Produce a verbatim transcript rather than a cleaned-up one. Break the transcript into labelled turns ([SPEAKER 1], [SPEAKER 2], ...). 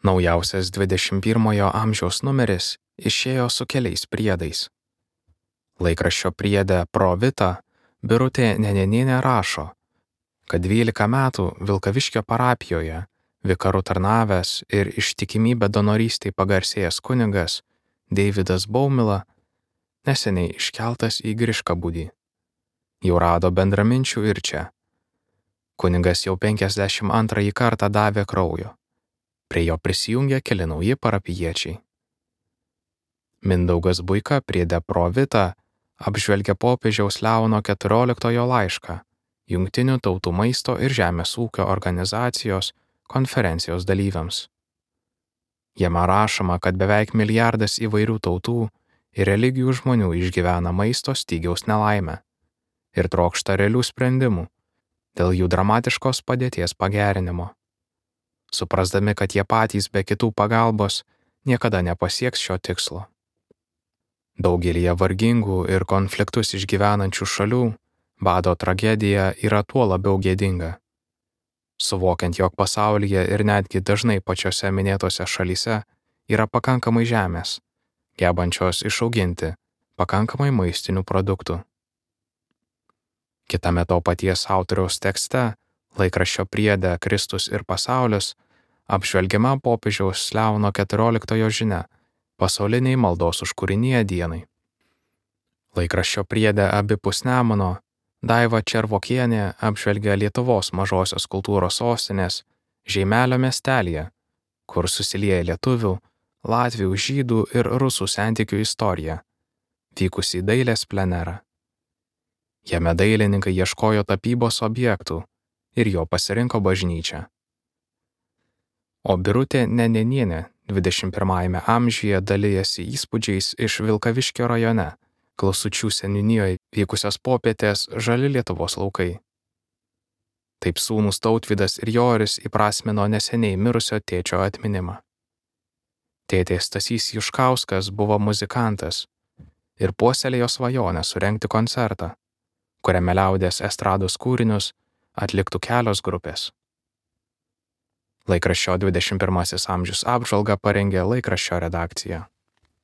[SPEAKER 1] Naujausias dvidešimt pirmojo amžiaus numeris išėjo su keliais priedais. Laikraščio priede Pro Vita Birutė Nenenienė rašo, kad dvylika metų Vilkaviškio parapijoje vikaru tarnavęs ir ištikimybę donorystei pagarsėjęs kunigas Deividas Baumila neseniai iškeltas į Griškabūdį. Jau rado bendraminčių ir čia. Kunigas jau penkiasdešimt antrąjį kartą davė kraujo. Prie jo prisijungė keli nauji parapijiečiai. Mindaugas Buika priede Pro Vita apžvelgia popiežiaus Leono keturioliktojo laišką Jungtinių tautų maisto ir žemės ūkio organizacijos konferencijos dalyviams. Jame rašoma, kad beveik milijardas įvairių tautų ir religijų žmonių išgyvena maisto stygiaus nelaimę ir trokšta realių sprendimų dėl jų dramatiškos padėties pagerinimo, suprasdami, kad jie patys be kitų pagalbos niekada nepasieks šio tikslo. Daugelyje vargingų ir konfliktus išgyvenančių šalių bado tragedija yra tuo labiau gėdinga. Suvokiant, jog pasaulyje ir netgi dažnai pačiose minėtose šalyse yra pakankamai žemės, gebančios išauginti pakankamai maistinių produktų. Kitame to paties autoriaus tekste, laikraščio priede Kristus ir pasaulis, apžvelgiama popiežiaus Leono keturioliktojo žinia pasauliniai maldos už kūriniją dienai. Laikraščio priede abipus Nemuno Daiva Červokienė apžvelgia Lietuvos mažosios kultūros sostinės Žeimelio miestelyje, kur susilieja lietuvių, latvių, žydų ir rusų santykių istorija, vykusi dailės plenerą. Jame dailininkai ieškojo tapybos objektų ir jo pasirinko bažnyčią. O Birutė Nenenienė dvidešimt pirmajame amžiuje dalijasi įspūdžiais iš Vilkaviškio rajone, Klausučių seniūnijoje vykusios popietės Žali Lietuvos laukai. Taip sūnūs Tautvydas ir Joris įprasmino neseniai mirusio tėčio atminimą. Tėtė Stasys Juškauskas buvo muzikantas ir puoselėjo svajonę surengti koncertą, kuriame liaudies estrados kūrinius atliktų kelios grupės. Laikraščio dvidešimt pirmasis amžius apžvalgą parengė laikraščio redakcija.